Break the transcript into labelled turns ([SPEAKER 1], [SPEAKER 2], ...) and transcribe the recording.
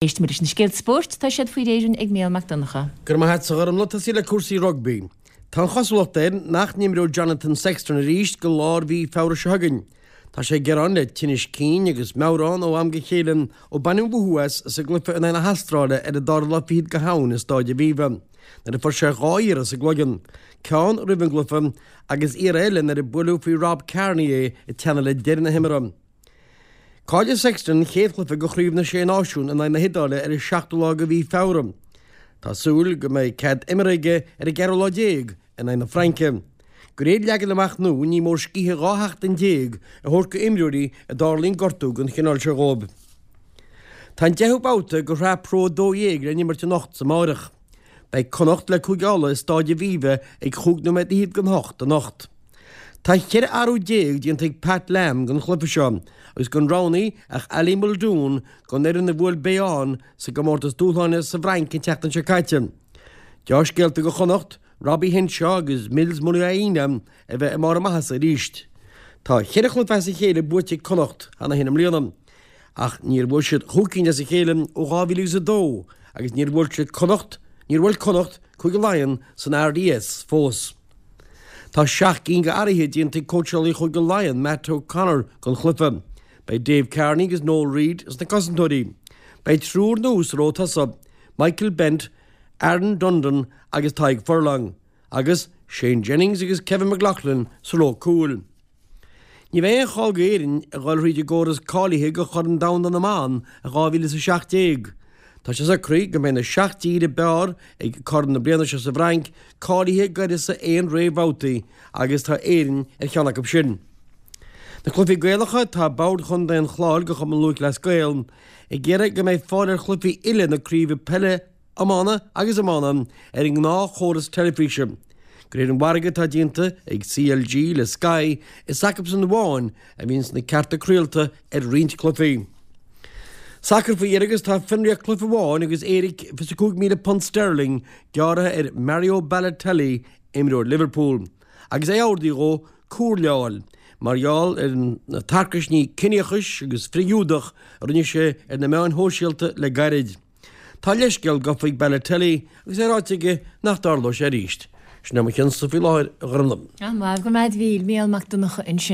[SPEAKER 1] Éistfimid leis na scéalta spóirt, tá siad faoi réir ag Mícheál Mac Donncha.
[SPEAKER 2] Go raibh maith agat a Ghormfhlaith, tosaí le cúrsaí rugbaí. Tá an chosúlacht air nach n-imreoidh Jonathan Sexton arís go lár mhí Feabhra seo chugainn. Tá sé ag gearán le tinnis cinn agus meabhrán ó am go chéile ó baineadh an mhothú as sa gcluiche in aghaidh na hAstráile ar an dara lá fichead de Shamhain i Stáid Aviva nuair a fuair sé dhá iarraidh sa gcloigeann, ceann roimh an gcluiche agus iarraidh eile nuair a buaileadh faoi Rob Kearney é ag teannadh le deireadh na himeartha. Caillfidh Sexton an chéad chluiche de Chraobh na Sé Náisiún in aghaidh na hIodáile ar an seachtú lá de mhí Feabhra. Tá súil go mbeidh cead imeartha aige ar an gceathrú lá déag in aghaidh na Fraince. De réir leagan amach nua ní mór scíth 12 sheachtain a thabhairt d'imreoirí a dtarlaíonn gortú den chineál seo dhóibh. Tá an deichiú babhta de Shraith Pro 12 le n-imirt anocht 's amáireach. Beidh Connacht le Cúige Uladh i Stáid Aviva ag chúig nóiméad fhichead don hocht anocht. Tá 14 athrú déanta ag Pat Lam don chluiche seo agus gan roghnaithe ach Ali Muldoon don fhoireann a bhuail Bayonne sa gcomórtas dúshláin sa bhFrainc an tseachtain seo caite. Deá-scéalta do Chonnacht, Robbie Henshaw agus Mils Muliaina a bheith i mbarr a maitheasa arís. Tá cheithre chluiche as a chéile buaite ag Connacht cheana féin i mbliana ach níor bhuaigh siad chúig cinn as a chéile ó 2002 agus níor bhuail siad Connacht, níor bhuail Connacht Cúige Laighean san RDS fós. Tá 7 gcinn d'athruithe déanta ag cóitseálaí Chúige Laighean, Matt O'Connor, don chluiche. Beidh Dave Kearney agus Noel Reid sna cosantóirí. Beidh triúr nua sa ró tosaigh, Michael Bent, Aaron Dundon agus Tadhg Furlong, agus Shane Jennings agus Kevin McLoughlin sa ró cúil. Ní bheidh aon chall d'Éirinn a dhul thríd an gcóras cáilithe do Chorn Domhanda na mBan i 2017. Tá sé socraithe go mbeidh na 7 dtír ab fhearr ag Corn na bliana seo sa bhFrainc cáilithe d'uireasa aon réamhbhabhtaí agus tá Éirinn ar cheann acu sin. Na cluichí Gaelacha, tá Bord Chontae an Chláir de Chumann Lúthchleas Gael ag iarraidh go mbeidh fáil ar chluichí uile na craoibhe peile iomána agus iomána ar an ngnáthchóras teilifíse. De réir an mhargaidh atá déanta ag CLG le Sky, is acusan amháin a bhíonns na cearta craolta ar roinnt cluichí. Sacar faoi dheireadh agus tá fionraíocht cluiche amháin agus éiric £25,000 sterling gearrtha ar Mario Balotelli, imreoir Liverpool, agus é ordaithe dhó cúrláil mar gheall ar na tarcaisní ciníochais agus frith-Ghiúdach a rinne sé ar na meáin shóisialta le gairid. Tá leithscéal gafa ag Balotelli agus é ráite aige nach dtarlóidh sé arís. Sin é mo chionn-sa faoi láthair, a Ghormfhlaith.
[SPEAKER 1] An-mhaith, go raibh maith agat a Mhíchíl, Mícheál Mac Donncha ansin.